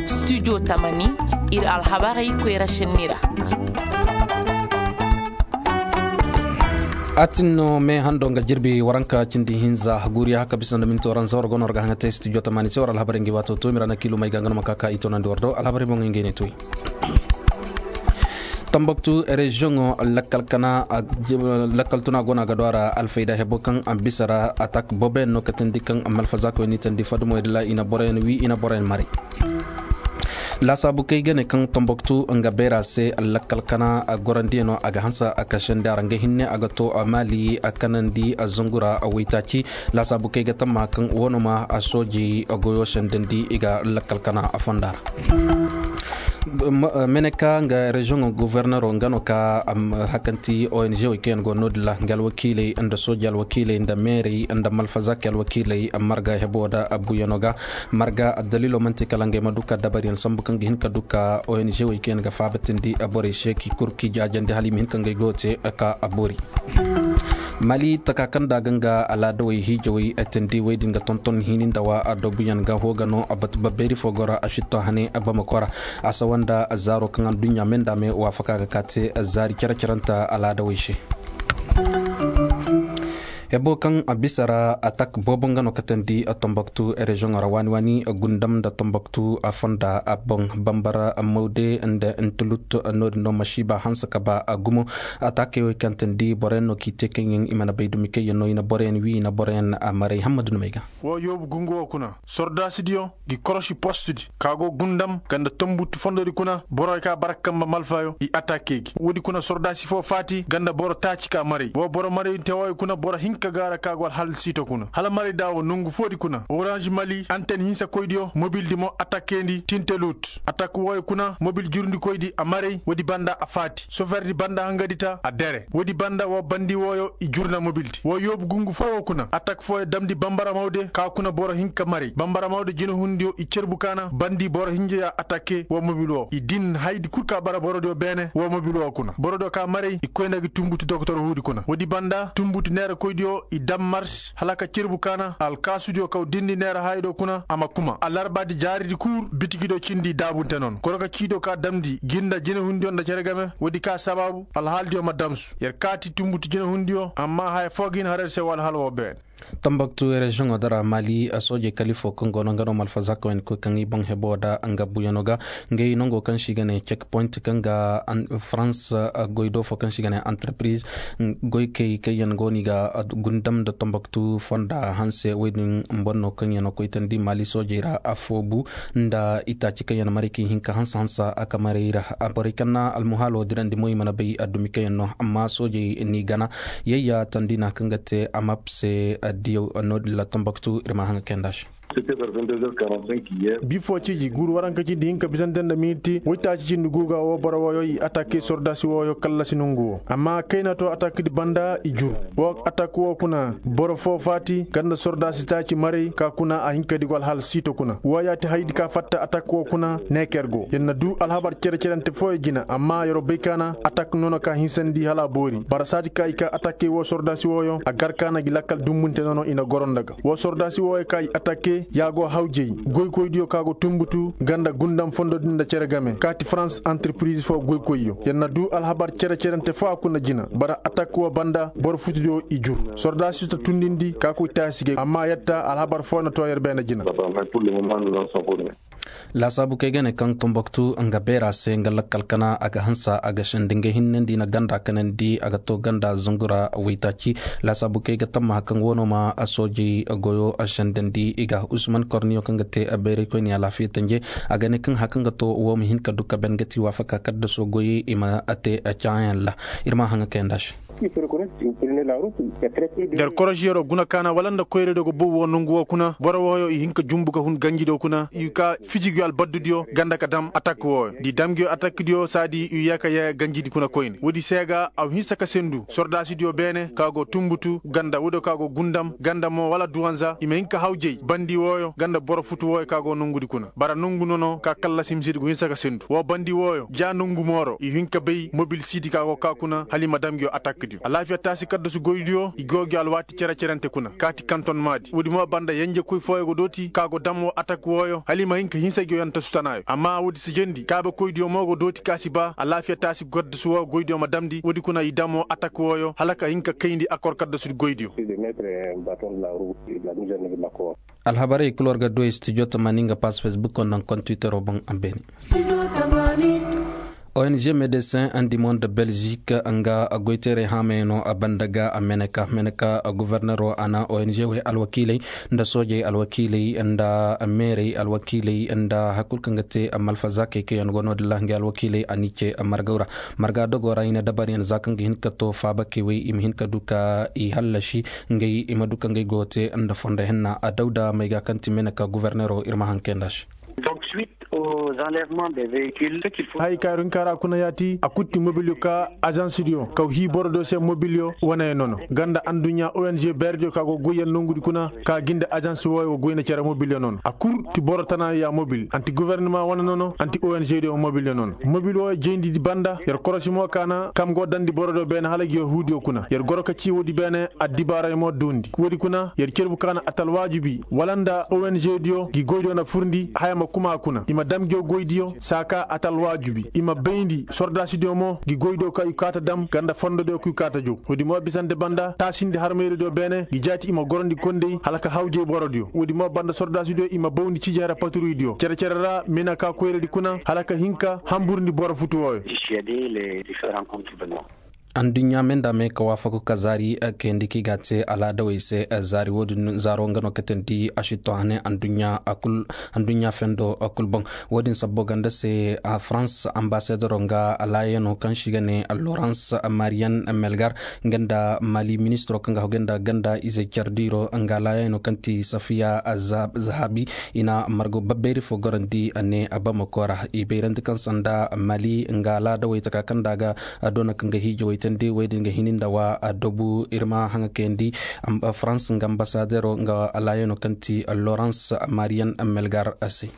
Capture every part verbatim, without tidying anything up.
Studio tamani, ir alhabarey koyra šenni ra. A tin no me hando nga jirbi waranka cindi hinza guriya haka bisa nda minti waranza war gono war ga haŋa te studio tamani se war alhabarey ngi wato to mira na kilu may ga nga no ma kaka i tonandi war do alhabarey boŋ ngey ne toy. Tambaktu reziyoŋo lakkal kana lakkal tuna gona ga do a ra alfayda hebo kaŋ a bisa ra atak boboyaŋ no katandi kaŋ malfazakoy ni tandi fadumoy dila i na boroyaŋ wi i na boroyaŋ maray. Laasaabu kay ga ne kaŋ tambaktu nga beera se lakkal kana a gorandiyano a ga hansa a kasandi a ra nga hinne a ga to a maali a kanandi a zangura a waytaaci. Laasaabu kay ga tamma kaŋ wano ma a sooji a goyo sendandi i ga lakkal kana a fonda ra. Meneka nga reziyoŋo gofornero nga no ka hakanti ong wo kaŋ yaŋ go no-din ra nga alwakiiley nda sooji alwakiiley nda meerey nda malfazaki alwakiiley marga hebo da abuyano ga. Marga addaliilo man'ti kala ngey ma du ka dabariyaŋ sambu kaŋ ga hin ka du ka ong wo kaŋ yaŋ ga faabatindi borey se k'i kuru k'i jaajandi hala i ma hin ka ngey goyo te ka a boori. Mali taka kaŋ da a ga nga alaadawey hiijawey tindi wey din ga tonton hini nda wa adoobuyaŋ ga hoo ga no a batu babbeeri fo goro a sitto hane bamako ra. A sawa nda zaaro kaŋ adduɲɲa me nda me waafaka ga ka te zaari cere-cerenta alaadawey se. Hebo kaŋ a bisa ra atak boobo nga no katandi tombaktu reziyoŋo ra waani-waani gundam nda tombaktu a fonda a boŋ bambara mawde nda ntulut no-din no masiiba hanse ka ba a gumo. Atakey wey kaŋ tandi boroyaŋ no k'i te kaŋ yaŋ i mana bay dumi kaŋ yaŋ no i na boroyaŋ wi i na boroyaŋ a maray hammadu numey ga. Wo yoobu gungu wo kuna sordaasidiyo gi korosi postudi ka go gundam ganda tombutu fondodi kuna borey ka bara kamba malfayo i atakey gi woodi kuna sordaasi fo faati ganda boro taaci ka maray wo boro maray tewaayo kuna boro hinka gaara ka go alhal siito kuna hala maray da wo nongu foodi kuna orange mali anten hinsa koydiyo mobildi mo atakeyndi tintelut atak wooyo kuna mobil jurndi koydi a maray woodi banda a faati soferdi banda hangadi ta a dere woodi banda wo bandi wooyo i jurna mobildi wo yoobu gungu fo wo kuna atak fooyo damndi bambara mawde ka kuna boro hinka maray bambara mawde jinahundiyo i cerbu kaana bandi boro hinja ya atake wo mobil wo i din haydi kul ka bara borodiyo beene wo mobil wo kuna borodiyo ka maray i koy nda gi tumbutu doktor huudi kuna woodi banda tumbutu neera koydiyo i dam mars hala ka cerbu kaana alkaasudiyo kaw dindi neera haydo kuna a ma kuma alarbaadi jaaridi kul bitikidiyo cindi daabunte nono koroka ciidiyo ka damndi ginda jinahundiyo nda cere game woodi ka sabaabu alhaalidiyo ma damsu yer kaati tumbutu jinahundiyo amma haya foo ga hin haray se wala hala woo beene. Tambaktu reziyoŋo dara mali soojey kalifo kaŋ go no nga no malfazakoyaŋ koy kaŋ i boŋ hebo da nga buyano ga ngey nongo kaŋ se i ga ne cek point kaŋ ga farans goy do fo kaŋ se i ga ne antarpiriz goy kay kaŋ yaŋ go no i ga gundam nda tambaktu fonda hanse woy din boro no kaŋ yaŋ no koy tandi mali soojey ra affoobu nda itaaci kaŋ yaŋ maray kaŋ i hin ka hansa hansa a ka maray ra borey kaŋ na almuhaalo dirandi mo i mana bay addumi kaŋ yaŋ no amma soojey n'i gana yayya tandi na kaŋ ga te amap se addiyo no-din la tambaktu ir ma haŋa kayanda se. Bifo ciji guuru waranka cindi hinka bisante nda miniti woytaaci cindi guuga wo boro wooyo i atake sordaasi wooyo kallasi nongu wo amma kayna to atakdi banda i jur wo atak wo kuna boro fo faati ganda sordaasi taaci maray ka kuna a hinka digo alhal siito kuna wo yaati haydi ka fatta atak wo kuna neeker go yer na du alhabar cere-cerante fooyo jina amma yer'o bay kaana atak nono ka hinsandi hala a boori bara saadi ka i ka atakey wo sordaasi wooyo a gar kaana gi lakkal dumbunte nono i na goro nda ga wo sordaasi wooyo ka i atake ya go hawjey goykoydiyo ka go tumbutu ganda gundam fondo din nda cere game kaati farans antarpiriz fo goykoyyo yer na du alhabar cere-cerante fo a kuna jina bara atak wo banda boro futudiyo i jur sordaasi ta tundindi ka koy taasi gay amma yetta alhabar fo na to yer beene jina. Laasaabu kay ga ne kaŋ tombaktu nga beera se nga lakkal kana a ga hansa a ga sandi nga hinnandi na ganda kanandi a ga to ganda zungura waytaaci. Laasaabu kay ga tamma hakaŋ wano ma a soojey goyo a sandandi i ga usman korniyo kaŋ ga te a beeray koyne alaafiya tanje a ga ne kaŋ hakaŋ ga to wo ma hin ka du ka ben ga ti waafaka kaddaso goyey i ma a te a caayaŋ ra. Ir ma haŋa kayanda se. Der korosiyero guna kaana wala nda koyra do ga bow wo nongu wo kuna boro wooyo i hin ka jumbu ga hun ganji do kuna i ka fiji gi albaddu diyo ganda ka dam atak wooyo di dam gi atak diyo saadi i yaka yaya ganji di kuna koyne woodi se ga a hinsa ka sendu sordaasi diyo beene ka go tumbutu ganda woodi ka go gundam ganda mo wala duwanza i ma hin ka hawjey bandi wooyo ganda boro futu wooyo ka go nongu di kuna bara nongu nono ka kallasi misidi go hinsa ka sendu wo bandi wooyo ja nongu mooro i hin ka bay mobil siidi ka go ka kuna hala i ma dam gi atak di. Alaafiya taasi kaddasu goydiyo i go gi alwaati cere-cerente kuna kaati kanton maadi woodi mo banda yenjekoy fooyo go dooti ka go dam woo atak wooyo hala i ma hin ka hinsa gi woo yanta sutanaayo amma woodi si jendi kaabekoydiyo mo go dooti ka si ba alaafiya taasi kaddasu woo goydiyo ma damndi woodi kuna i dam woo atak wooyo hala ka hin ka kayndi akor kaddasudi goydiyo. Alhabarey kul war ga du ay studio tamaani nga pass facebook nda nga kontwitero boŋ a beene. Ong medesin andi mo nda belzik nga goyteerey haamey no a banda ga a meneka meneka gubernero a na ong wey alwakiiley nda soojey alwakiiley nda meerey alwakiiley nda hari kul kaŋ ga te malfazakey kaŋ yaŋ go no-din ra ngey alwakiiley a n'i ce margaw ra. Marga dogo ra i na dabaryaŋ za kaŋ ga hin ka to faabakey wey i ma hin ka du ka i hallasi ngey i ma du ka ngey go te nda fondo henna a dawda may ga kaŋ ti mene ka guberneero ir ma haŋ kay nda se. Hay kaaru hinka ra kuna yaati a kul ti mobilyo ka azansidiyo kaw hii borodiyo se mobilyo wane nono ganda anduɲɲa ong beerediyo ka go goyyaŋ nongudi kuna ka gi nda azansi wooyo go goyna cere mobilyo nono a kul ti boro tana ya mobil anti gubernama wane nono anti ong diyo mobilyo nono mobil wooyo jayndi di banda yer korosi mo ka na kam go dandi borodiyo beene hala gi yahuudiyo kuna yer goro ka cii woodi beene addibaaray mo duundi woodi kuna yer cerbu ka na atalwaajubi wala nda ong diyo gi goydiyo na furndi haya ma kuma kuna i ma dam ngiyo goydiyo saa ka atalwaajubi i ma bayndi sordaasidiyo mo gi goydiyo ka i kaata dam ganda fondodiyo ka i kaata jow woodi mo bisante banda taasindi harmayradiyo beene gi jaati i ma gorondi kondey hala ka hawjay borodiyo woodi mo banda sordaasidiyo i ma bawndi ciiji hara paturuydiyo cere-cere ra mina ka koyradi kuna hala ka hin ka hamburndi boro futu wooyo. Anduɲɲa me nda me ka waafaku ka zaari kayandi kaŋ i ga a te alaadawey se zaari wo-din zaaro nga no katandi a si to hane anduɲɲa fendo kul boŋ. Wo-din sabbo ganda se farans ambasadero nga laayano kaŋ se i ga ne lorans mariyan melgar nga nda mali ministiro kaŋ ga hagu nda ganda izey care diiro nga laayano kaŋ ti safiya zahabi i na margo babbeeri fo gorandi a ne bamako ra i bayrandi kaŋ sanda mali nga laadawey taka kaŋ nda a ga doona kaŋ ga hiijawey tandi wey din ga hini nda wa a dobu ir ma haŋa kayandi farans nga ambasadero nga laayano kaŋ ti lorans mariyan melgar se.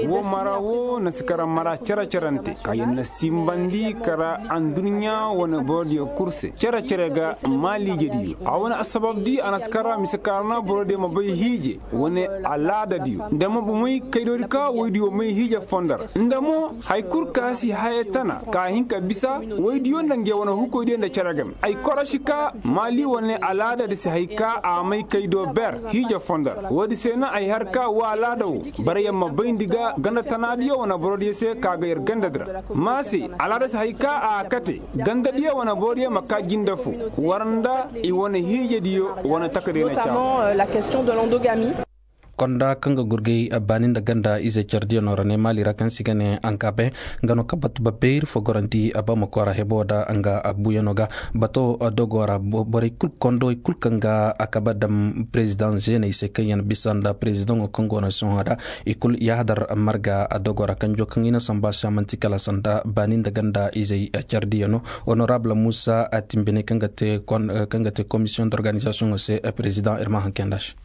Wo mara wo na si kara mara cere-cerante ka yer na simbandi kara anduɲɲa wane borodiyo kul se cere-cere ga maaliijediyo a wane assababdi a na si kara mise kaara na borodiyo ma bay hiije wane alaadadiyo nda ma bomey kaydoodi ka woydiyo may hiije fondo ra nda mo hari kul ka si haya tana ka hin ka bisa woydiyo nda ngey wane hukoydiyo nda cere game ay korosi ka maali wane alaadadi si hay ka a may kaydo ber hiije fondo ra woodi se na ay har ka wo alaada wo bara yer ma bayndi ga ganda tanaadiyo wane borodiyo se ka ga yer gandadi ra ma se alaada si hay ka a kate gandadiyo wane borodiyo ma ka jinde fo war nda i wane hiijediyo wane takadiyo na caawa. Konda kaŋ ga gurgay baani nda ganda ize care diya no ra ne maali ra kaŋ se i ga ne ankabe nga no ka batu babeeri fo gorandi bamako ra hebo da nga buuyano ga bato dogo ra borey kul kondo i kul kaŋ ga a kabe dam perezidaŋ zeeney se kaŋ yaŋ bisa nda perezidaŋo kaŋ go no sohõ da i kul yaahadar marga dogo ra kanjo kaŋ i na samba se a manti kala sanda baani nda ganda izey care diya no. Honorable muusa a timbiney kaŋ ga te komisiyoŋ d'organizasiyoŋo se perezidaŋ ir ma haŋ kay nda se.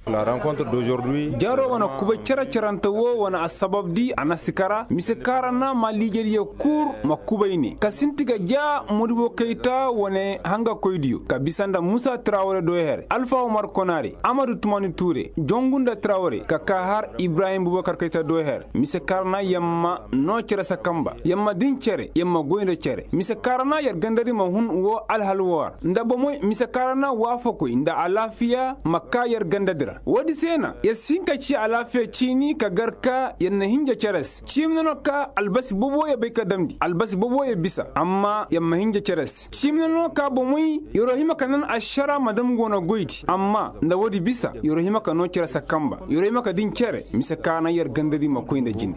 Jaaro wane kubay cere-cerante wo wane assabab di a na si kara mise kaŋ ra na maaliijediyo kul ma kubay ne ka sinti ga ja modibo kayta wane hangakoydiyo ka bisa nda muusa trawre doy here alfa umar konare amadu tumani ture jongu nda trawre ka ka har ibrahim bubakar kayta doy here mise kaŋ ra na yamma no cere sakamba yamma din cere yamma goy nda cere mise kaŋ ra na yer gandadi ma hun wo alhal wo ra nda bomey mise kaŋ ra na waafakoy nda alaafiya ma ka yer gandadi ra woodi se na yer si hin ka ci alaafiya ciini ka gar ka yer na hinja cere se ciimina no ka albasi bobo yer bay ka damndi albasi bobo yer bisa amma yer ma hinja cere se ciimina no ka bomey yer'o hima ka nan ašara ma dam go no goydi amma nda woodi bisa yer'o hima ka no cere sakamba yer'o hima ka din cere mise kaŋ ra na yer gandadi ma koy nda jine.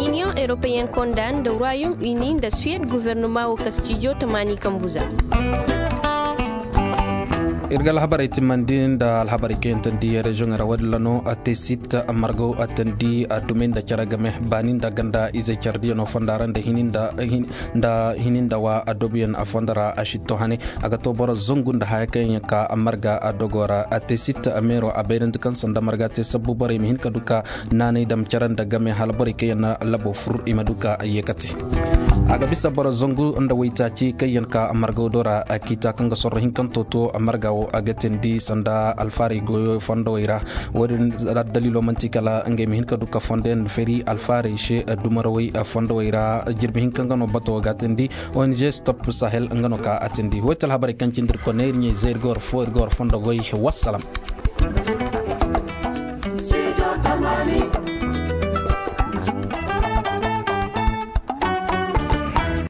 Iniyoŋ eropeyen konda nda royom ini nda suwed guvernoma wo ka stijo tamaani kambuza. Ir ga alhabarey timmandi nda alhabarey kaŋ yaŋ tandi reziyoŋey ra, woodin ra no a te sit margo a tandi a dumey nda care game baani nda ganda izey care diyaŋo fonda ra nda hini nda hini nda wa a dobiyaŋ a fondo ra a sitto hane. A ga to boro zangu nda haya kaŋ yaŋ ka marga a dogo ra a te sit meero a bayrandi kaŋ sanda marga te sabbu borey ma hin ka du ka naanay dam care nda game hala borey kaŋ yaŋ na labo fur i ma du ka yeekate. A ga bisa boro zangu nda waytaaci kaŋ yaŋ ka marga do ra a kiita kaŋ ga sorro hinkanto to marga wo a ga teendi sanda alfaarey goyo fondowey ra. Woodin addaliilo man'ti kala ngey ma hin ka du ka fondo yaŋ feri alfaarey se dumarawey fondowey ra. Jirbi hinka nga no bato ga teendi. Ong stop sahel nga no ka a teendi woy te alhabarey kaŋ cindi ir kone ir ɲey zey ir ga war fo ir ga war fondo goy. Wassalam.